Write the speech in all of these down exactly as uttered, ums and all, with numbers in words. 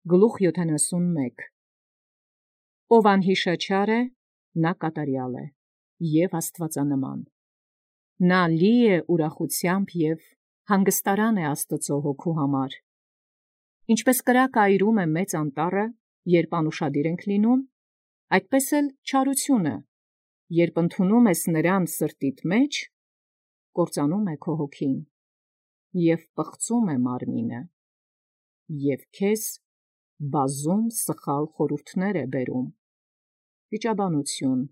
Գլուխ յոթանասունմեկ. Ով անհիշաչար է, նա կատարյալ է, և աստվածանման. նա լի է ուրախությամբ և հանգստարան է Աստծու հոգու համար. ինչպես կրակը այրում է մեծ անտառը, երբ անուշադիր ենք լինում, այդպես էլ չարությունը, երբ ընդունում ես նրան սրտիդ մեջ, կործանում է քո հոգին, և պղծում է մարմինը, և քեզ բազում սխալ խորհուրդներ է բերում. վիճաբանություն,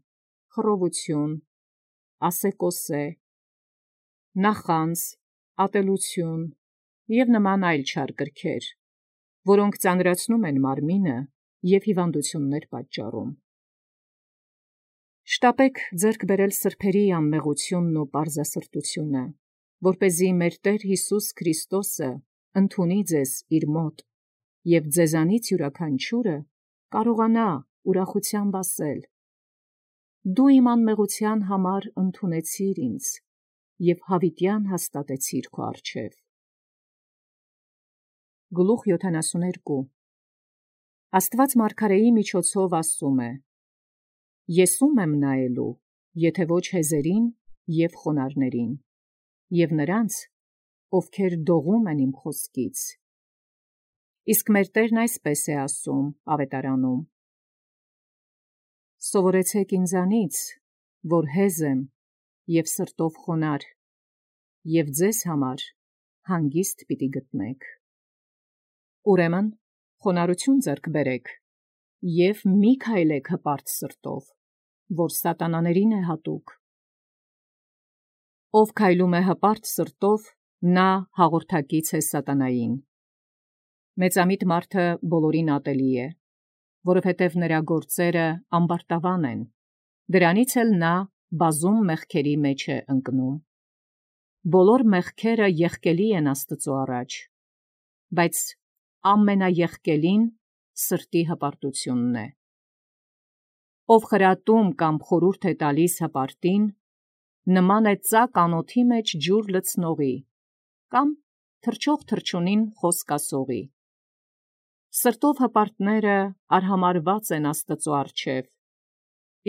խռովություն, ասեկոսե, նախանձ, ատելություն և նման այլ չար կրքեր, որոնք ծանրացնում են մարմինը և հիվանդություններ պատճառում։ Շտապեք ձեռք բերել սրբերի անմեղությունն ու պարզասրտությունը, որպեսզի մեր Տեր Հիսուս Քրիստոսը ընդունի ձեզ իր մոտ, և ձեզանից յուրաքանչյուրը կարողանա ուրախությամբ ասել. «Դու իմ անմեղության համար ընդունեցիր ինձ և հավիտյան հաստատեցիր քո առջև»։ Գլուխ յոթանասուներկու. Աստված մարգարեի միջոցով ասում է. «Ես ո՞ւմ եմ նայելու, եթե ոչ հեզերին և խոնարհներին, և նրանց, ովքեր դողում են իմ խոսքից»։ Իսկ մեր Տերն այսպես է ասում Ավետարանում. «Սովորեցեք ինձանից, որ հեզ եմ և սրտով խոնարհ, և ձեզ համար հանգիստ պիտի գտնեք»։ Ուրեմն խոնարհություն ձեռք բերեք և մի քայլեք հպարտ սրտով, որ սատանաներին է հատուկ։ Ով քայլում է հպարտ սրտով, նա հաղորդակից է սատանային։ Մեծամիտ մարդը բոլորին ատելի է, որովհետև նրա գործերը ամբարտավան են, դրանից էլ նա բազում մեղքերի մեջ է ընկնում։ Բոլոր մեղքերը եղկելի են Աստծու առաջ, բայց ամենաեղկելին սրտի հպարտությունն է։ Ով խրատում կամ խորհուրդ է տալիս հպարտին, նման է ծակ անոթի մեջ ջուր լցնողի կամ թռչող թռչունին խոսք ասողի։ Սրտով հպարտները արհամարհված են Աստծու առջև,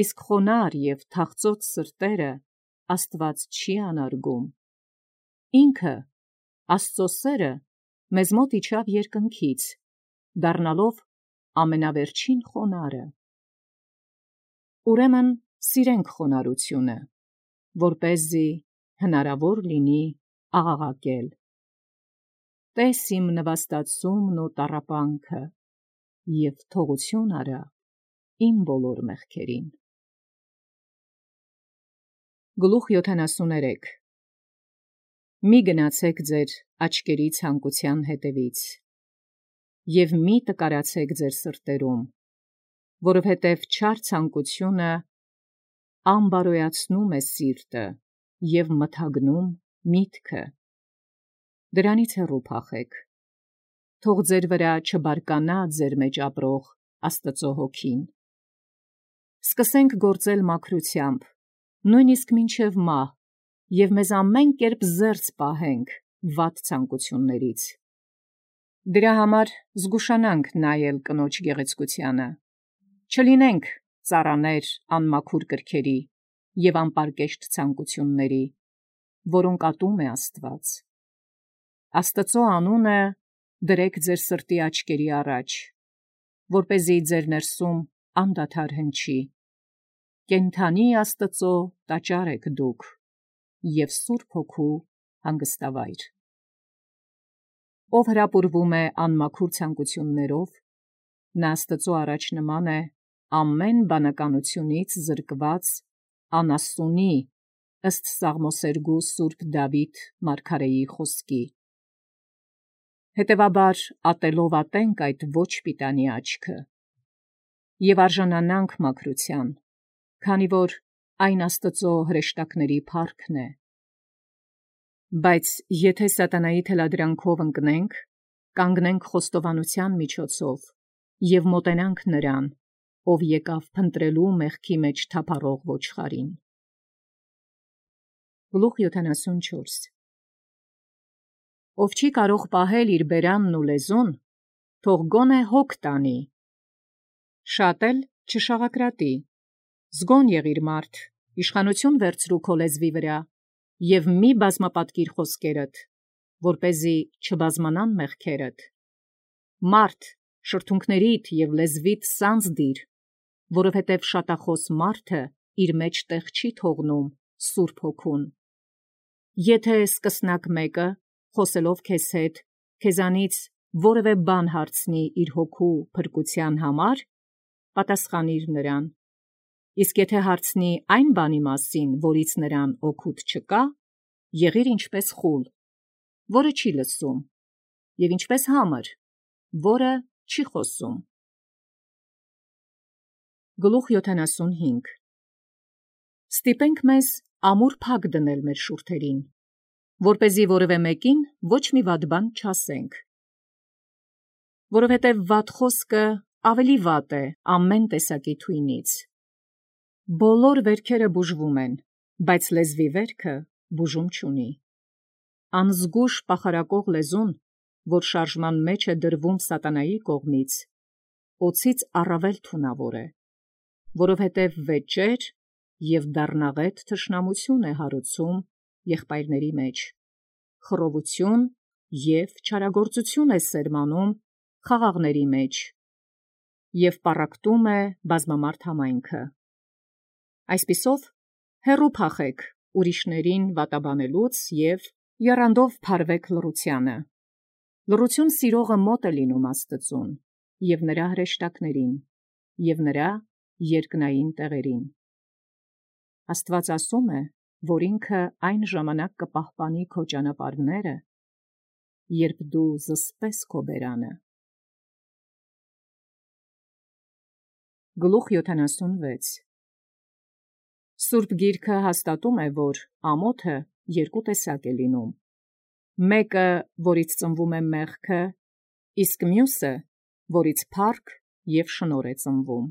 իսկ խոնարհ և թախծոտ սրտերը Աստված չի անարգում։ Ինքը, Աստծու սերը, մեզ մոտ իջավ երկնքից, դառնալով ամենավերջին խոնարհը։ Ուրեմն սիրենք խոնարհությունը, որպեսզի հնարավոր լինի աղաղակել. «Տես իմ նվաստացումն ու տառապանքը, և թողություն արա իմ բոլոր մեղքերին»։ Գլուխ յոթանասուներեք. Մի գնացեք ձեր աչքերի ցանկության հետևից, և մի տկարացեք ձեր սրտերում, որովհետև չար ցանկությունը անբարոյացնում է սիրտը և մթագնում միտքը։ Դրանից հեռու փախեք, թող ձեր վրա չբարկանա ձեր մեջ ապրող Աստծու հոգին։ Սկսենք գործել մաքրությամբ, նույնիսկ մինչև մահ, և մեզ ամեն կերպ զերծ պահենք վատ ցանկություններից։ Դրա համար զգուշանանք նայել կնոջ գեղեցկությանը, չլինենք ծառաներ անմաքուր կրքերի և անպարկեշտ ցանկությունների, որոնք ատում է Աստված։ Աստծու անունը դրեք ձեր սրտի աչքերի առաջ, որպեսզի ձեր ներսում անդադար հնչի. «Կենդանի Աստծու տաճար եք դուք և Սուրբ Հոգու հանգստավայր»։ Ով հրապուրվում է անմաքուր ցանկություններով, նա Աստծու առաջ նման է ամեն բանականությունից զրկված անասունի, ըստ Սաղմոսերգու սուրբ Դավիթ մարգարեի խոսքի։ Հետևաբար ատելով ատենք այդ ոչ պիտանի աչքը և արժանանանք մաքրության, քանի որ այն Աստծու հրեշտակների փառքն է։ Բայց եթե սատանայի թելադրանքով ընկնենք, կանգնենք խոստովանության միջոցով և մոտենանք նրան, ով եկավ փնտրելու մեղքի մեջ թափառող ոչխարին։ Գլուխ յոթանասունչորս. Ով չի կարող պահել իր բերանն ու լեզուն, թող գոնե հոգ տանի։ Շատ էլ չշաղակրատի, զգոն եղիր մարդ, իշխանություն վերցրու քո լեզվի վրա, և մի բազմապատկիր խոսքերդ, որպեսզի չբազմանան մեղքերդ։ Մարդ, շրթունքներիդ և լեզվիդ սանձ դիր, որովհետև շատախոս մարդը իր մեջ տեղ չի թողնում Սուրբ Հոգուն։ Եթե սկսնակ մեկը, խոսելով քեզ հետ, քեզանից որևէ բան հարցնի իր հոգու փրկության համար, պատասխանիր նրան, իսկ եթե հարցնի այն բանի մասին, որից նրան օգուտ չկա, եղիր ինչպես խուլ, որը չի լսում, և ինչպես համր, որը չի խոսում։ Գլուխ յոթանասունհինգ Ստիպենք մեզ ամուր փակ դնել մեր շուրթերին, որպեսզի որևէ մեկին ոչ մի վատ բան չասենք, որովհետև վատ խոսքը ավելի վատ է ամեն տեսակի թույնից։ Բոլոր վերքերը բուժվում են, բայց լեզվի վերքը բուժում չունի։ Անզգուշ պախարակող լեզուն, որ շարժման մեջ է դրվում սատանայի կողմից, օձից առավել թունավոր է, որովհետև վեճեր և դառնաղետ թշնամություն է հարուցում եղբայրների մեջ, խռովություն և չարագործություն է սերմանում խաղաղների մեջ և պառակտում է բազմամարդ համայնքը։ Այսպիսով, հեռու փախեք ուրիշներին վատաբանելուց և եռանդով փարվեք լռությանը։ Լռություն սիրողը մոտ է լինում Աստծուն և նրա հրեշտակներին և նրա երկնային տեղերին։ Աստված ասում է, որ ինքը այն ժամանակ կպահպանի քո ճանապարհները, երբ դու զսպես քո բերանը։ Գլուխ յոթանասունվեց Սուրբ Գիրքը հաստատում է, որ ամոթը երկու տեսակ է լինում. մեկը, որից ծնվում է մեղքը, իսկ մյուսը, որից փառք և շնորհ է ծնվում։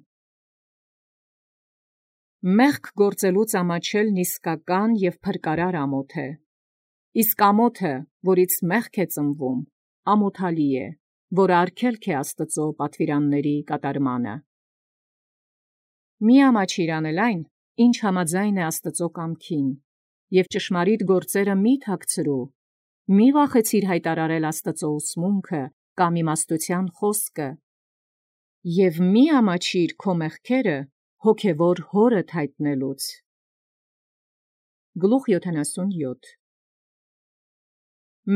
Մեղք գործելուց ամաչելն իսկական և փրկարար ամոթ է, իսկ ամոթը, որից մեղք է ծնվում, ամոթալի է, որը արգելք է Աստծո պատվիրանների կատարմանը։ Մի ամաչիր անել այն, ինչ համաձայն է Աստծո կամքին, և ճշմարիտ գործերը մի թաքցրու, մի վախեցիր հայտարարել Աստծո ուսմունքը կամ իմաստության խոսքը, և մի ամաչիր քո մեղքերը հոգևոր հորդ հայտնելուց։ Գլուխ յոթանասունյոթ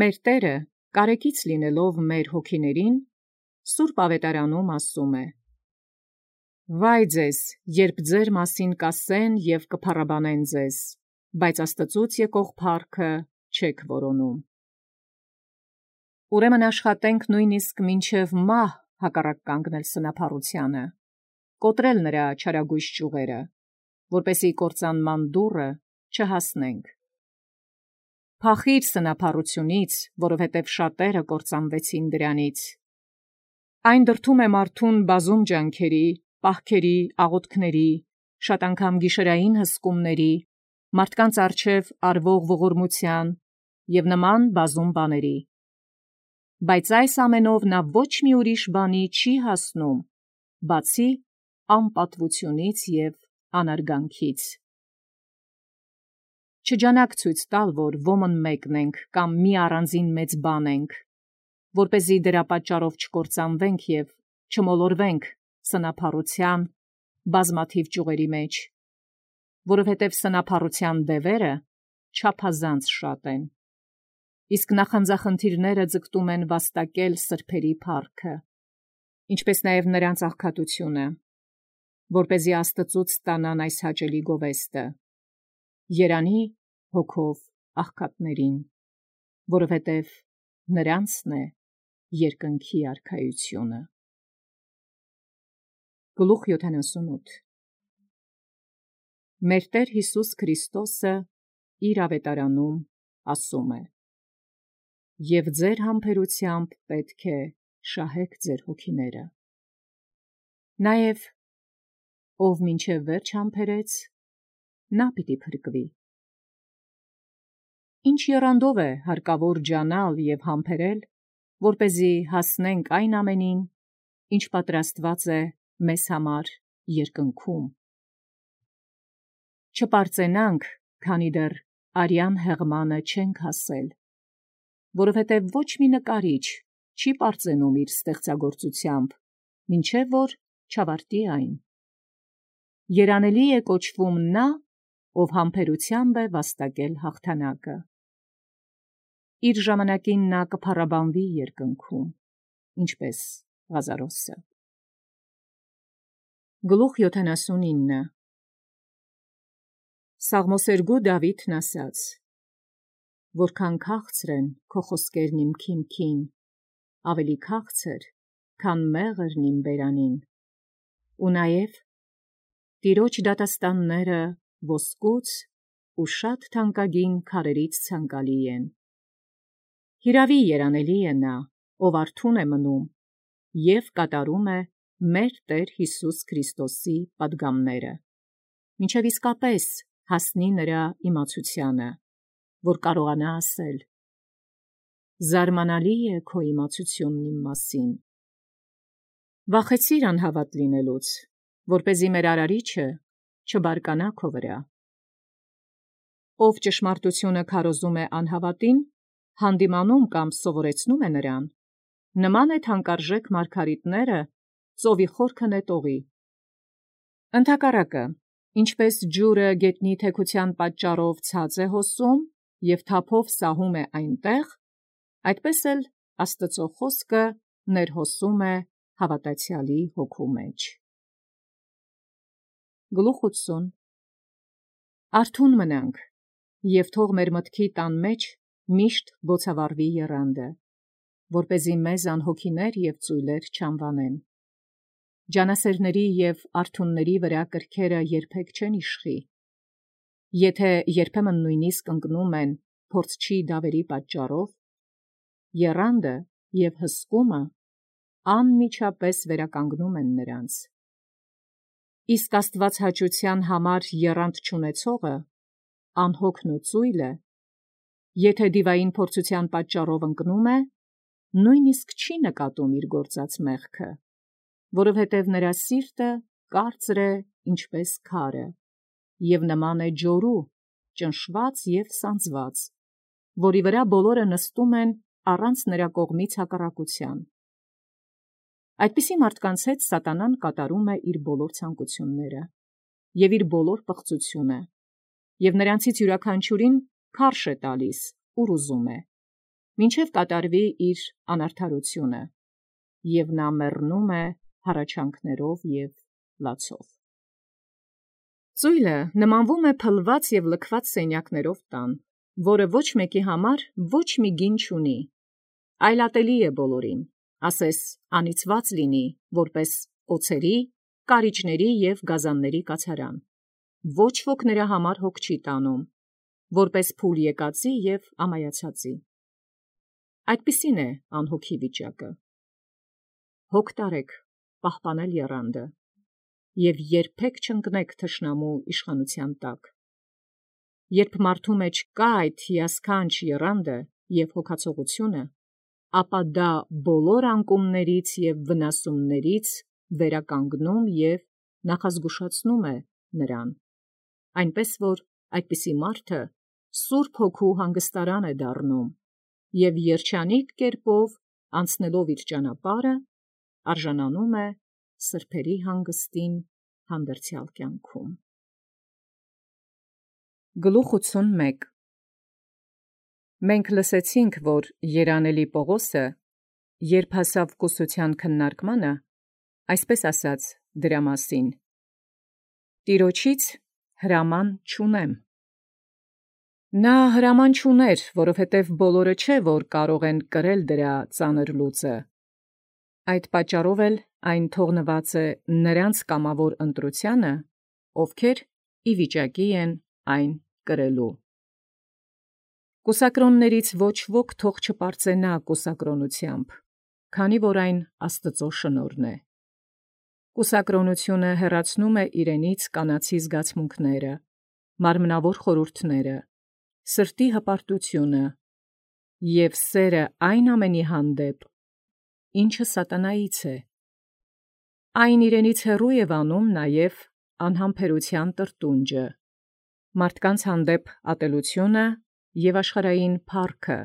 Մեր Տերը, կարեկից լինելով մեր հոգիներին, Սուրբ Ավետարանում ասում է. «Վայ ձեզ, երբ ձեր մասին կասեն և կփառաբանեն ձեզ, բայց Աստծուց եկող փառքը չեք որոնում»։ Ուրեմն աշխատենք նույնիսկ մինչև մահ հակառակ կանգնել սնափառությանը, կոտրել նրա չարագույժ ճյուղերը, որպեսզի կործանման դուռը չհասնենք։ Փախիր սնափառությունից, որովհետև շատերը կործանվեցին դրանից։ Այն դրդում է մարդուն բազում ջանքերի, պահքերի, աղոթքների, շատ անգամ գիշերային հսկումների, մարդկանց առջև արվող ողորմության և նման բազում բաների։ Բայց այս ամենով նա ոչ մի ուրիշ բանի չի հասնում, բացի անպատվությունից և անարգանքից։ Չջանաք ցույց տալ, որ ոմն մեկն ենք կամ մի առանձին մեծ բան ենք, որպեսզի դրա պատճառով չկործանվենք և չմոլորվենք սնափառության բազմաթիվ ճյուղերի մեջ, որովհետև սնափառության դևերը չափազանց շատ են, իսկ նախանձախնդիրները ձգտում են վաստակել սրբերի փառքը, ինչպես նաև նրանց աղքատությունը, որպեսզի Աստծուց ստանան այս հաճելի գովեստը. երանի հոգով աղքատներին, որովհետև նրանցն է երկնքի արքայությունը։ Գլուխ յոթանասունութ Մեր Տեր Հիսուս Քրիստոսը իր ավետարանում ասում է. «Եվ ձեր համբերությամբ պետք է շահեք ձեր հոգիները»։ Նաև ով մինչև վերջ համբերեց, նա պիտի փրկվի։ Ինչ եռանդով է հարկավոր ջանալ և համբերել, որպեսզի հասնենք այն ամենին, ինչ պատրաստված է մեզ համար երկնքում։ Չպարծենանք, քանի դեռ արյան հեղմանը չենք հասել, որովհետև ոչ մի նկարիչ չի պարծենում իր ստեղծագործությամբ, մինչև որ չավարտի այն։ Երանելի է կոչվում նա, ով համբերությամբ է վաստակել հաղթանակը։ Իր ժամանակին նա կփառաբանվի երկնքում, ինչպես Ղազարոսը։ Գլուխ յոթանասունինը Սաղմոսերգու Դավիթն ասաց. «Որքան քաղցր են քո խոսքերն իմ քիմքին, ավելի քաղցր, քան մեղրն իմ բերանին, ու նաև Տիրոջ դատաստանները ոսկուց ու շատ թանկագին քարերից ցանկալի են։ Հիրավի երանելի է նա, ով արթուն է մնում և կատարում է մեր Տեր Հիսուս Քրիստոսի պատգամները, մինչև իսկապես հասնի նրա իմացությանը, որ կարողանա ասել. զարմանալի է քո իմացությունն իմ մասին։ Վախեցիր անհավատ լինելուց, որպեսզի մեր արարիչը չբարկանա քո վրա։ Ով ճշմարտությունը քարոզում է անհավատին, հանդիմանում կամ սովորեցնում է նրան, նման է թանկարժեք մարգարիտները ծովի խորքը նետողի։ Ընդհակառակը, ինչպես ջուրը գետնի թեքության պատճառով ցած է հոսում և թափով սահում է այնտեղ, այդպես էլ Աստծո խոսքը ներհոսում է հավատացյալի հոգու մեջ։ Գլուխ ութսուն Արթուն մնանք, և թող մեր մտքի տան մեջ միշտ բոցավառվի եռանդը, որպեսզի մեզ անհոգիներ և ծույլեր չանվանեն։ Ջանասերների և արթունների վրա կրքերը երբեք չեն իշխի։ Եթե երբեմն նույնիսկ ընկնում են փորձչի դավերի պատճառով, եռանդը և հսկումը անմիջապես վերականգնում են նրանց։ Իսկ աստվածհաճության համար եռանդ չունեցողը, անհոգն ու ծույլը, եթե դիվային փորձության պատճառով ընկնում է, նույնիսկ չի նկատում իր գործած մեղքը, որովհետև նրա սիրտը կարծր է ինչպես քարը, և նման է ջորու, ճնշված և սանձված, որի վրա բոլորը նստում են առանց նրա կողմից հակառակության։ Այդպիսի մարդկանց հետ սատանան կատարում է իր բոլոր ցանկությունները և իր բոլոր պղծությունը, և նրանցից յուրաքանչյուրին քարշ է տալիս, ուր ուզում է, մինչև կատարվի իր անարդարությունը, և նա մեռնում է հառաչանքներով և լացով։ Ծույլը նմանվում է փլված և լքված սենյակներով տան, որը ոչ մեկի համար ոչ մի գին չունի, այլ ատելի է բոլորին, ասես անիծված լինի, որպես օձերի, կարիճների և գազանների կացարան, ոչ ոք նրա համար հոգ չի տանում, որպես փուլ եկածի և ամայացածի։ Այդպիսին է անհոգի վիճակը։ Հոգ տարեք պահպանել եռանդը, և երբեք չընկնեք թշնամու իշխանության տակ։ Երբ մարդու մեջ կա այդ հիասքանչ եռանդը և հոգացողությունը, ապա դա բոլոր անկումներից և վնասումներից վերականգնում և նախազգուշացնում է նրան, այնպես որ այդպիսի մարդը Սուրբ Հոգու հանգստարան է դառնում և երջանիկ կերպով անցնելով իր ճանապարհը, արժանանում է սրբերի հանգստին հանդերձյալ կյանքում։ Գլուխ ութսունմեկ Մենք լսեցինք, որ երանելի Պողոսը, երբ հասավ կուսության քննարկմանը, այսպես ասաց դրա մասին. «Տիրոջից հրաման չունեմ»։ Նա հրաման չուներ, որովհետև բոլորը չէ, որ կարող են կրել դրա ծանր լուծը։ Այդ պատճառով էլ այն թողնված է նրանց կամավոր ընտրությանը, ովքեր ի վիճակի են այն կրելու։ Կուսակրոններից ոչ ոք թող չպարծենա կուսակրոնությամբ, քանի որ այն Աստծո շնորհն է։ Կուսակրոնությունը հեռացնում է իրենից կանացի զգացմունքները, մարմնավոր խորհուրդները, սրտի հպարտությունը և սերը այն ամենի հանդեպ, ինչը սատանայից է։ Այն իրենից հեռու է վանում նաև անհամբերության տրտունջը, մարդկանց հանդեպ ատելությունը և աշխարհային փառքը։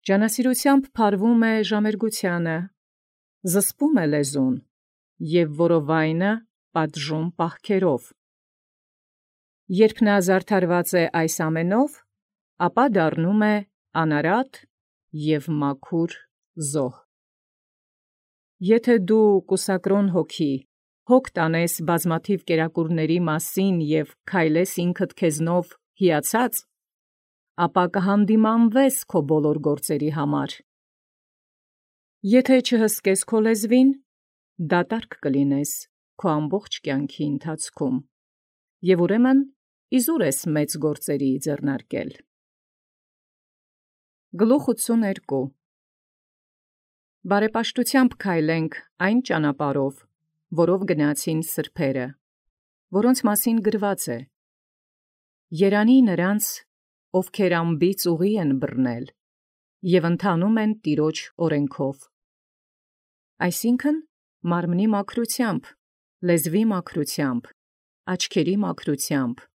Ջանասիրությամբ փարվում է ժամերգությանը, զսպում է լեզուն և որովայնը պատժում պահքերով։ Երբ նա զարդարված է այս ամենով, ապա դառնում է անարատ և մաքուր զոհ։ Եթե դու կուսակրոն հոգի հոգ տանես բազմաթիվ կերակուրների մասին և քայլես ինքդ քեզնով հիացած, ապա կհանդիմանվես քո բոլոր գործերի համար։ Եթե չհսկես քո լեզվին, դատարկ կլինես քո ամբողջ կյանքի ընթացքում, և ուրեմն իզուր ես մեծ գործերի ձեռնարկել։ Գլուխ ութսուներկու Բարեպաշտութեամբ քայլենք այն ճանապարհով, որով գնացին սրբերը, որոնց մասին գրված է. Երանի նրանց, ովքեր անբիծ ուղի են բռնել և ընթանում են Տիրոջ օրենքով, այսինքն մարմնի մաքրությամբ, լեզվի մաքրությամբ, աչքերի մաքրությամբ,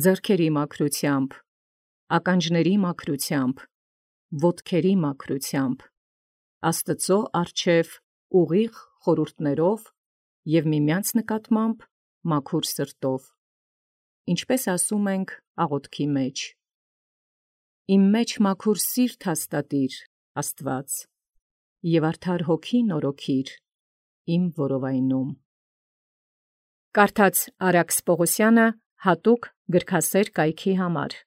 ձեռքերի մաքրությամբ, ականջների մաքրությամբ, ոտքերի մաքրությամբ, Աստծո առջև ուղիղ խորհուրդներով և միմյանց նկատմամբ մաքուր սրտով, ինչպես ասում ենք աղոթքի մեջ. Իմ մեջ մաքուր սիրտ հաստատիր, Աստված, և արդար հոգի նորոգիր իմ որովայնում։ Կարդաց Արաքս Պողոսյանը հատուկ գրքասեր կայքի համար։